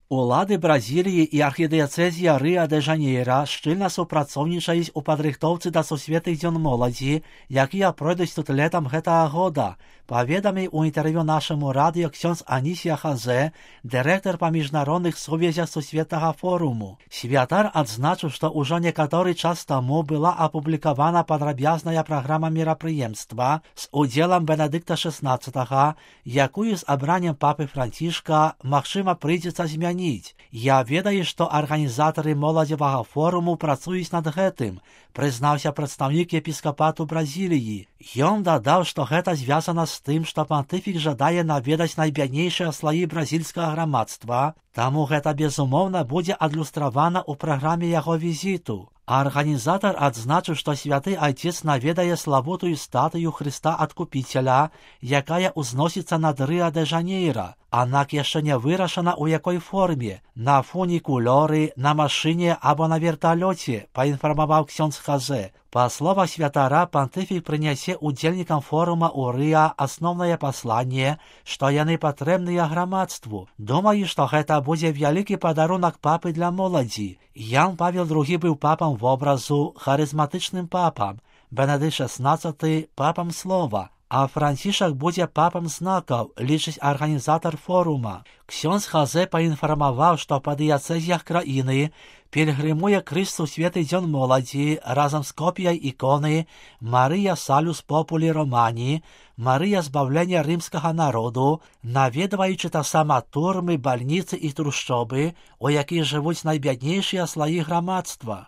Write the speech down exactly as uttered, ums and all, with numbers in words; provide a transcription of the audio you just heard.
Улады Бразилії і архідыяцэзія Рыа-дэ-Жанейра шчыльна супрацоўнічаюць у падрыхтоўцы да сусветных дзён моладзі, якія пройдуць тут летам гэтага года, паведаміў у інтэрв'ю нашаму радыё ксёндз Анісія Хазе, дырэктар па міжнародных сувязях сусветнага форуму. Святар адзначыў, што ўжо некаторы час таму была апублікавана падрабязная праграма мерапрыемства з удзелам Бенедыкта шэснаццатага, якую з абраннем папы Францішка, магчыма, прыйдзецца змяніць. Я ведаю, што арганізатары моладзевага форуму працуюць над гэтым, прызнаўся прадстаўнік епіскапату Бразіліі. Ён дадаў, што гэта звязана з тым, што пантыфік жадае наведаць найбяднейшыя слаі бразільскага грамадства, таму гэта безумоўна будзе адлюстравана ў праграме яго візіту. Арганізатар адзначыў, што святы айцец наведае славутую статую Хрыста Адкупіцеля, якая ўзносіцца над Рыа-дэ-Жанейра, аднак яшчэ не вырашана ў якой форме, на фунікулёры, на машыне або на верталёце, паінфармаваў ксёндз Хазе. Па словах святара, пантыфік прынясе удзельнікам форума ў Рыа асноўнае пасланне, што яны патрэбныя грамадству. Думаю, што гэта будзе вялікі падарунак папы для моладзі. Ян Павел другі быў папам вобразу, харызматычным папам, Бенедыкт шэснаццаты папам слова, а Францішак будзе папам знакаў, лічыць арганізатар форума. Ксёндз Хазе паінфармаваў, што па дыяцэзіях краіны пільгрымуе крыж сусветы дзён моладзі разам з копіяй іконы Марыя Салюс Популі Романі, Марыя збаўлення рымскага народу, наведваючы таксама турмы, бальніцы і трушчобы, у якіх жывуць найбяднейшыя слаі грамадства.